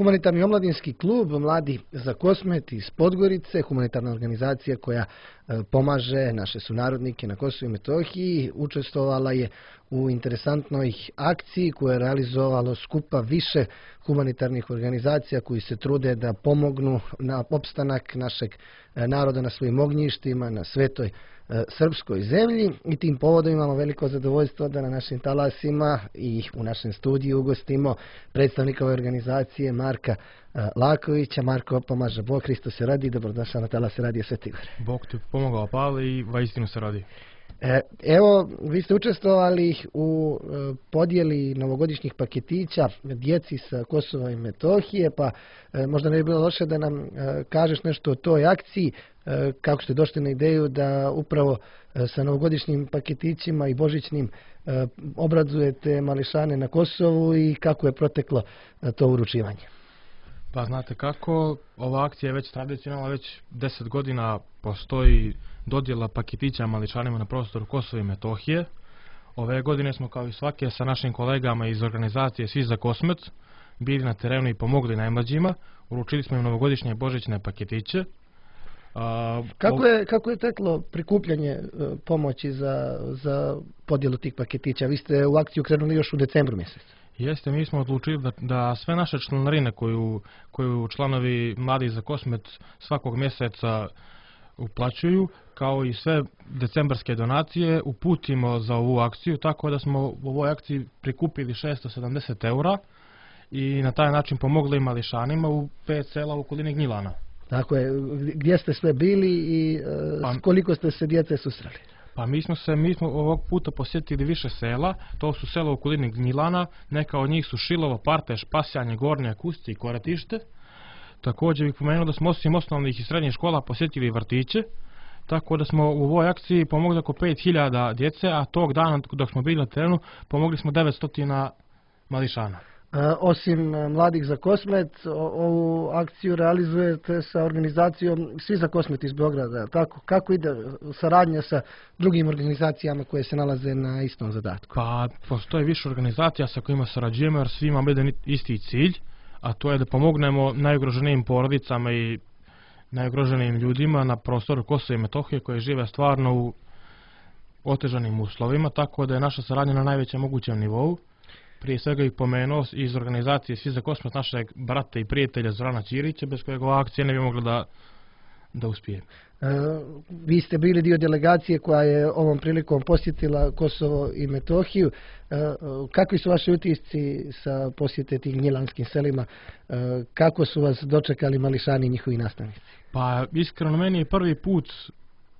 Humanitarni omladinski klub Mladi za Kosmet iz Podgorice, humanitarna organizacija koja pomaže naše sunarodnike na Kosovu i Metohiji, učestvovala je u interesantnoj akciji koju je realizovalo skupa više humanitarnih organizacija koji se trude da pomognu na opstanak našeg naroda na svojim ognjištima, na svetoj srpskoj zemlji, i tim povodom imamo veliko zadovoljstvo da na našim talasima i u našem studiju ugostimo predstavnika ove organizacije Marka Lakovića. Marko, pomaže Bog, Hristos se radi, dobrodošao na talase Radija Sveti Igor. Bog ti pomogao, Pavle, i vaistinu se radi. Evo, vi ste učestvovali u podjeli novogodišnjih paketića djeci sa Kosova i Metohije, pa možda ne bi bilo loše da nam kažeš nešto o toj akciji, kako ste došli na ideju da upravo sa novogodišnjim paketićima i božićnim obradujete mališane na Kosovu i kako je proteklo to uručivanje. Pa znate kako, ova akcija je već tradicionalna, već 10 godina postoji dodjela paketića mališanima na prostoru Kosova i Metohije. Ove godine smo kao i svake sa našim kolegama iz organizacije Svi za Kosmet bili na terenu i pomogli najmlađima. Uručili smo im novogodišnje božićne paketiće. Kako je teklo prikupljanje pomoći za podjelu tih paketića? Vi ste u akciju krenuli još u decembru mjesecu. Jeste, mi smo odlučili da sve naše članarine koju članovi Mladi za Kosmet svakog mjeseca uplaćuju, kao i sve decembarske donacije, uputimo za ovu akciju, tako da smo u ovoj akciji prikupili 670 eura i na taj način pomogli mališanima u 5 sela u okolini Gnjilana. Tako je, gdje ste sve bili i koliko ste se djece susreli? Pa mi smo ovog puta posjetili više sela. To su sela u okolini Gnjilana, neka od njih su Šilovo, Parteš, Pasjanje, Gornja, Kusti i Koratište. Također bih pomenuo da smo osim osnovnih i srednjih škola posjetili vrtiće, tako da smo u ovoj akciji pomogli oko 5000 djece, a tog dana dok smo bili na terenu pomogli smo 900 mališana. Osim Mladih za Kosmet, ovu akciju realizujete sa organizacijom Svi za Kosmet iz Beograda. Tako, kako ide saradnja sa drugim organizacijama koje se nalaze na istom zadatku? Pa postoje više organizacija sa kojima sarađujemo jer svi imamo jedan isti cilj, a to je da pomognemo najugroženijim porodicama i najugroženijim ljudima na prostoru Kosova i Metohije koji žive stvarno u otežanim uslovima, tako da je naša saradnja na najvećem mogućem nivou. Prije svega ih pomenuo iz organizacije Svi za Kosmet našeg brata i prijatelja Zorana Ćirića, bez kojeg ova akcija ne bi mogla da uspije. Vi ste bili dio delegacije koja je ovom prilikom posjetila Kosovo i Metohiju. Kakvi su vaši utisci sa posjete tih gnjilanskim selima? Kako su vas dočekali mališani i njihovi nastavnici? Pa iskreno, meni je prvi put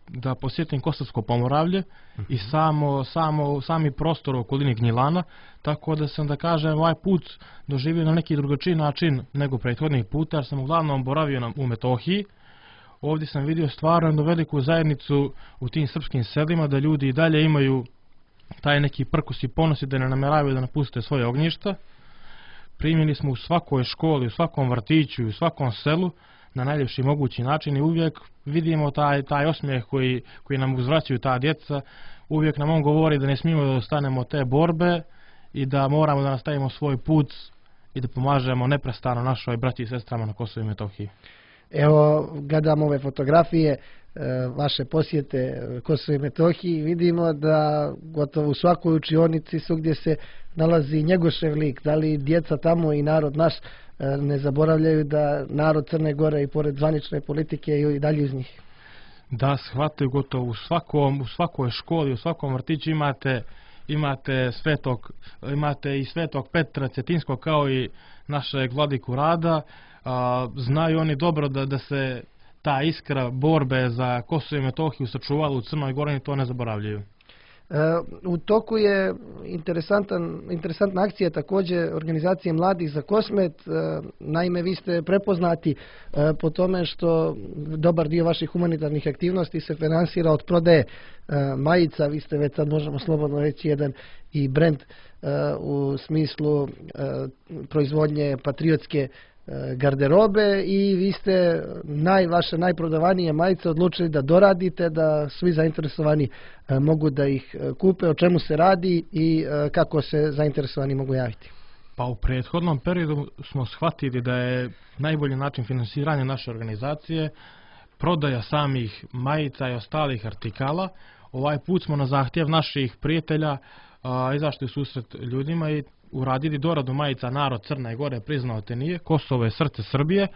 da posjetim Kosovsko Pomoravlje i sami prostor u okolini Gnjilana, tako da sam, da kažem, ovaj put doživio na neki drugačiji način nego prethodnih puta, jer sam uglavnom boravio u Metohiji. Ovdje sam vidio stvarno jednu veliku zajednicu u tim srpskim selima, da ljudi i dalje imaju taj neki prkus i ponos i da ne namjeravaju da napuste svoje ognjišta. Primili smo u svakoj školi, u svakom vrtiću i u svakom selu na najljepši mogući način i uvijek vidimo taj osmijeh koji nam uzvraćaju ta djeca. Uvijek nam on govori da ne smijemo da ostanemo te borbe i da moramo da nastavimo svoj put i da pomažemo neprestano našoj braći i sestrama na Kosovu i Metohiji. Evo, gledamo ove fotografije vaše posjete Kosovo i Metohiji, vidimo da gotovo u svakoj učionici svugdje se nalazi Njegošev lik. Da li djeca tamo i narod naš ne zaboravljaju da narod Crne Gore i pored zvanične politike i dalje uz njih? Da, shvataju gotovo u svakoj školi, u svakom vrtiću imate i Svetog Petra Cetinskog kao i našeg vladiku Rada. Znaju oni dobro da se ta iskra borbe za Kosovo i Metohiju sačuvala u Crnoj Gori i to ne zaboravljaju. U toku je interesantna akcija također organizacije Mladih za Kosmet. Naime, vi ste prepoznati po tome što dobar dio vaših humanitarnih aktivnosti se finansira od prodaje majica. Vi ste već sad, možemo slobodno reći, jedan i brand u smislu proizvodnje patriotske garderobe i vi ste vaše najprodavanije majice odlučili da doradite, da svi zainteresovani mogu da ih kupe. O čemu se radi i kako se zainteresovani mogu javiti? Pa u prethodnom periodu smo shvatili da je najbolji način finansiranja naše organizacije prodaja samih majica i ostalih artikala. Ovaj put smo na zahtjev naših prijatelja izašli u susret ljudima i uradili doradu majica Narod Crne Gore priznao te nije, Kosovo je srce Srbije,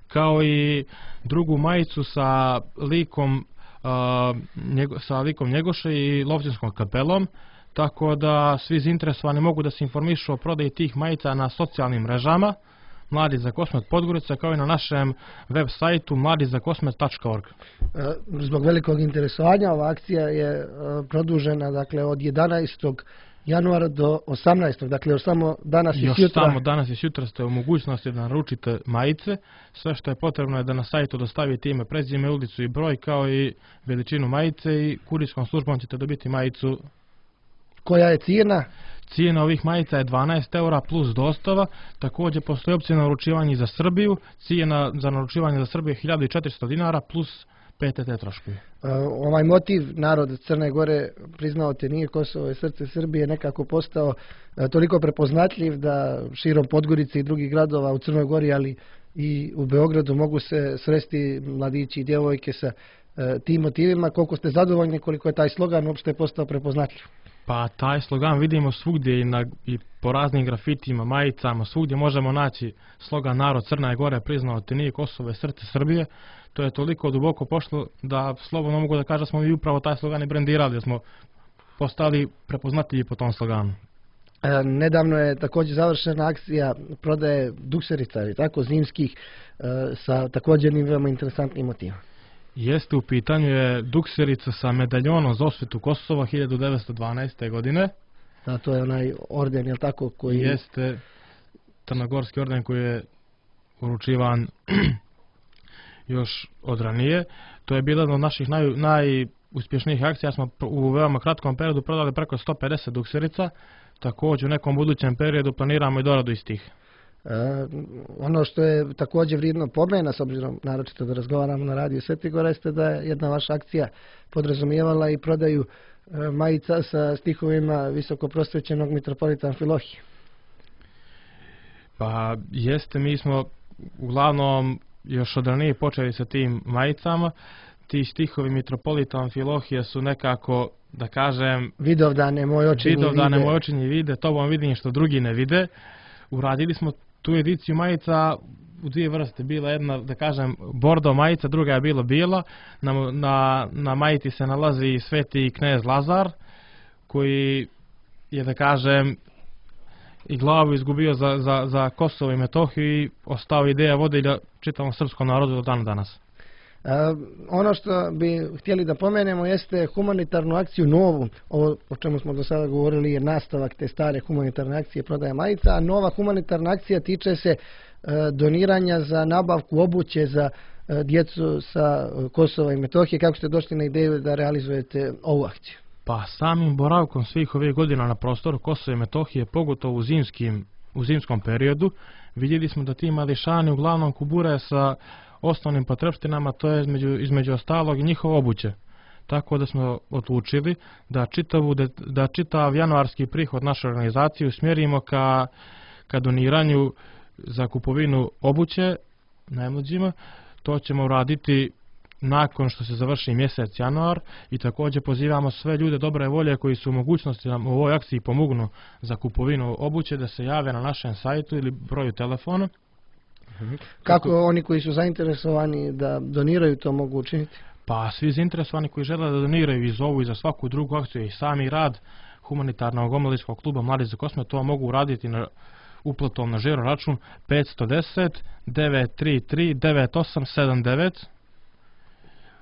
kao i drugu majicu sa likom Njegoše i Lovćinskom kapelom, tako da svi zainteresovani mogu da se informišu o prodaji tih majica na socijalnim mrežama Mladi za Kosmet Podgorica, kao i na našem web sajtu mladizakosmet.org. Zbog velikog interesovanja ova akcija je produžena, dakle, od 11. januara do 18. Dakle, još samo danas i sutra. Još samo danas i sutra ste u mogućnosti da naručite majice. Sve što je potrebno je da na sajtu dostavite ime, prezime, ulicu i broj, kao i veličinu majice, i kurirskom službom ćete dobiti majicu. Koja je cijena? Cijena ovih majica je 12 € plus dostava. Također postoji opcija na naručivanje za Srbiju. Cijena za naručivanje za Srbiju je 1400 dinara plus PTT troškovi. Ovaj motiv Narod Crne Gore priznao te nije, Kosovo je srce Srbije nekako postao toliko prepoznatljiv da širom Podgorice i drugih gradova u Crnoj Gori, ali i u Beogradu mogu se sresti mladići i djevojke sa tim motivima. Koliko ste zadovoljni, koliko je taj slogan uopšte postao prepoznatljiv? Pa taj slogan vidimo svugdje i po raznim grafitima, majicama, svugdje možemo naći slogan Narod Crne Gore priznao te nije, Kosovo je srce Srbije. To je toliko duboko pošlo da slobodno mogu da kažem da smo mi upravo taj slogan i brendirali, da smo postali prepoznatljivi po tom sloganu. Nedavno je također završena akcija prodaje dukserica, tako, zimskih, sa također veoma interesantnim motivom. Jeste, u pitanju je dukserica sa medaljonom za osvetu Kosova 1912. godine. Da, to je onaj orden, je li tako? Koji... Jeste, crnogorski orden koji je uručivan još od ranije. To je bila jedna od naših najuspješnijih akcija. Smo u veoma kratkom periodu prodali preko 150 dukserica. Također u nekom budućem periodu planiramo i doradu istih. Ono što je također vrijedno pomena, s obzirom naročito da razgovaramo na radiju Svetigora, jeste da je jedna vaša akcija podrazumijevala i prodaju majica sa stihovima visokoprosvećenog mitropolita Amfilohija. Pa jeste, mi smo uglavnom još od ranije počeli sa tim majicama. Ti stihovi mitropolita Amfilohija su nekako, da kažem, vidovdane moj očinji vide, to vam vidim što drugi ne vide. Uradili smo tu ediciju majica u dvije vrste. Bila jedna, da kažem, bordo majica, druga je bila bijela. Na majici se nalazi sveti knez Lazar, koji je, da kažem, i glavu izgubio za Kosovo i Metohiju i ostao ideja vodilja čitavom srpskom narodu do dana danas. Ono što bi htjeli da pomenemo jeste humanitarnu akciju novu. Ovo o čemu smo do sada govorili je nastavak te stare humanitarne akcije prodaje majica, a nova humanitarna akcija tiče se doniranja za nabavku obuće za djecu sa Kosova i Metohije. Kako ste došli na ideju da realizujete ovu akciju? Pa samim boravkom svih ovih godina na prostoru Kosova i Metohije, pogotovo u zimskom periodu, vidjeli smo da ti mališani uglavnom kubure sa osnovnim potrepštinama, to je između ostalog i njihov obuće. Tako da smo odlučili da čitav januarski prihod naše organizacije usmjerimo ka doniranju za kupovinu obuće najmlađima. To ćemo uraditi nakon što se završi mjesec januar i također pozivamo sve ljude dobre volje koji su u mogućnosti da u ovoj akciji pomognu za kupovinu obuće da se jave na našem sajtu ili broju telefona. Kako oni koji su zainteresovani da doniraju to mogu učiniti? Pa svi zainteresovani koji žele da doniraju i za ovu i za svaku drugu akciju i sami rad humanitarnog omladinskog kluba Mladi za Kosmet, to mogu uraditi uplatom na žiro račun 510 933 9879.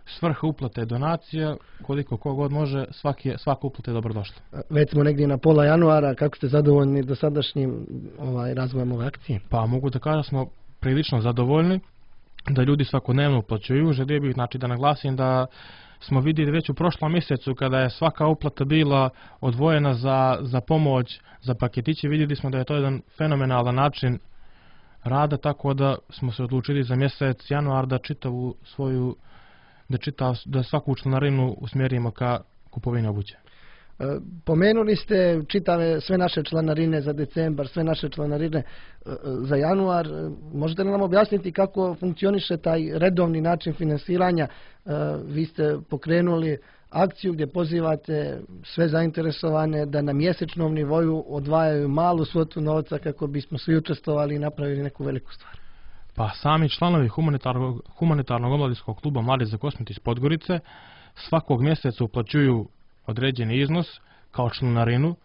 Svrha uplate je donacija, koliko kogod može, svaka uplata je dobrodošla. Već smo negdje na pola januara, kako ste zadovoljni dosadašnjim razvojem ove akcije? Pa mogu da kažem da smo prilično zadovoljni, da ljudi svakodnevno uplaćuju. Želio bih da naglasim da smo vidjeli već u prošlom mjesecu kada je svaka uplata bila odvojena za pomoć, za paketiće, vidjeli smo da je to jedan fenomenalan način rada, tako da smo se odlučili za mjesec januar da svaku članarinu usmjerimo ka kupovini obuće. Pomenuli ste čitave sve naše članarine za decembar, sve naše članarine za januar. Možete li nam objasniti kako funkcioniše taj redovni način finansiranja? Vi ste pokrenuli akciju gdje pozivate sve zainteresovane da na mjesečnom nivou odvajaju malu svotu novca kako bismo svi učestvovali i napravili neku veliku stvar. Pa sami članovi humanitarnog omladinskog kluba Mladi za Kosmet iz Podgorice svakog mjeseca uplaćuju određeni iznos kao članarinu,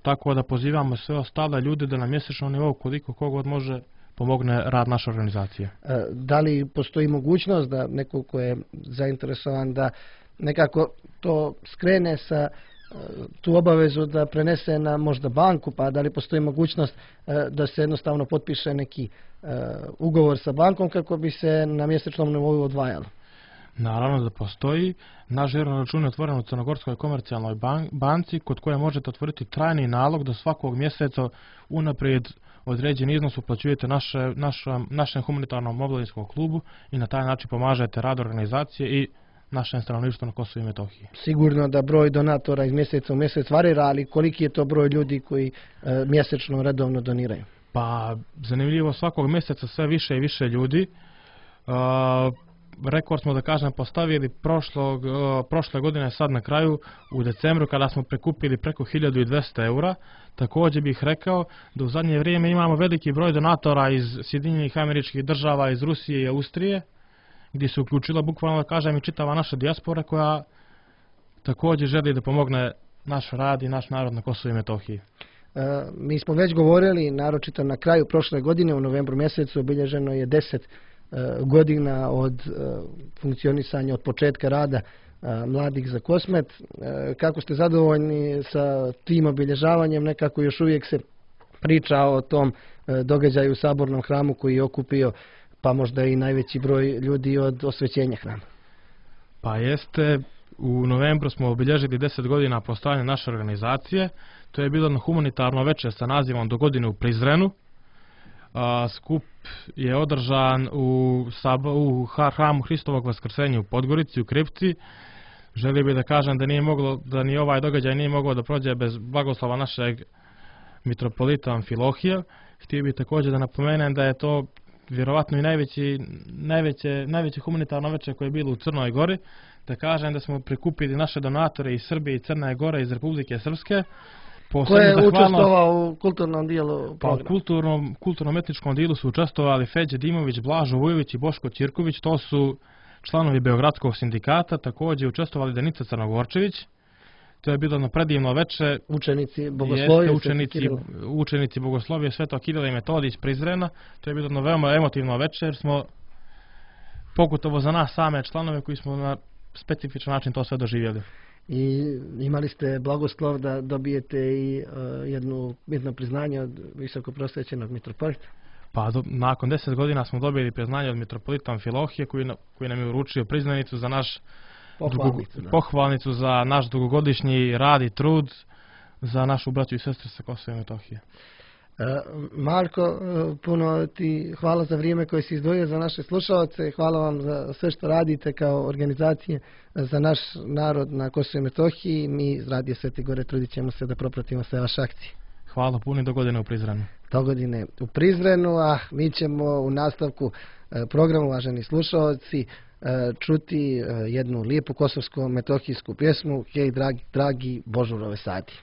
tako da pozivamo sve ostale ljude da na mjesečnom nivou koliko kogod može pomogne rad naše organizacije. Da li postoji mogućnost da neko ko je zainteresovan da nekako to skrene sa tu obavezu da prenese na možda banku, pa da li postoji mogućnost da se jednostavno potpiše neki ugovor sa bankom kako bi se na mjesečnom nivou odvajalo? Naravno da postoji. Naš žiro račun je otvoren u Crnogorskoj komercijalnoj banci kod koje možete otvoriti trajni nalog da svakog mjeseca unaprijed određen iznos uplaćujete našem humanitarnom omladinskom klubu i na taj način pomažete rad organizacije i našem stanovništvu na Kosovu i Metohiji. Sigurno da broj donatora iz mjeseca u mjesec varira, ali koliki je to broj ljudi koji mjesečno redovno doniraju? Pa zanimljivo, svakog mjeseca sve više i više ljudi. Rekord smo, da kažem, postavili prošle godine sad na kraju u decembru kada smo prikupili preko 1200 eura. Također bih rekao da u zadnje vrijeme imamo veliki broj donatora iz Sjedinjenih Američkih Država, iz Rusije i Austrije, gdje se uključila bukvalno, da kažem, i čitava naša dijaspora koja također želi da pomogne naš rad i naš narod na Kosovu i Metohiji. Mi smo već govorili, naročito na kraju prošle godine, u novembru mjesecu obilježeno je 10 godina od funkcionisanja, od početka rada Mladih za Kosmet. Kako ste zadovoljni sa tim obilježavanjem? Nekako još uvijek se priča o tom događaju u Sabornom hramu koji je okupio pa možda i najveći broj ljudi od osvećenja hrama. Pa jeste, u novembru smo obilježili 10 godina postojanja naše organizacije. To je bilo na humanitarno večer sa nazivom Do godine u Prizrenu. Skup je održan u hramu Hristovog vaskrsenja u Podgorici, u kripti. Želio bih da kažem da ni ovaj događaj nije mogao da prođe bez blagoslova našeg mitropolita Amfilohija. Htio bih također da napomenem da je to vjerovatno i najveće humanitarno večer koje je bilo u Crnoj Gori. Da kažem da smo prikupili naše donatore iz Srbije i Crne Gore, iz Republike Srpske. Ko je učestvovao u kulturnom dijelu programa? Pa u kulturno-etničkom dijelu su učestvovali Feđe Dimović, Blažo Vujović i Boško Ćirković. To su članovi Beogradskog sindikata. Također učestvovali Danica Crnogorčević. To je bilo na predivno večer. Učenici Bogoslovije Svetog Kirila i Metodija iz Prizrena. To je bilo na veoma emotivno večer. Smo pogotovo za nas same članove koji smo na specifičan način to sve doživjeli. I imali ste blagoslov da dobijete i jedno priznanje od visoko prosvećenog mitropolita? Pa nakon 10 godina smo dobili priznanje od mitropolita Amfilohije koji nam je uručio priznanicu za naš pohvalnicu za naš dugogodišnji rad i trud za našu braću i sestre sa Kosova i Metohije. Marko, puno ti hvala za vrijeme koje si izdvojio za naše slušalce. Hvala vam za sve što radite kao organizacije za naš narod na Kosovu i Metohiji. Mi iz Radija Svete Gore trudit ćemo se da propratimo sve vaše akcije. Hvala puno i do godine u Prizrenu. Do godine u Prizrenu, a mi ćemo u nastavku programu, uvaženi slušalci, čuti jednu lijepu kosovsko-metohijsku pjesmu Hej dragi Božurove sati.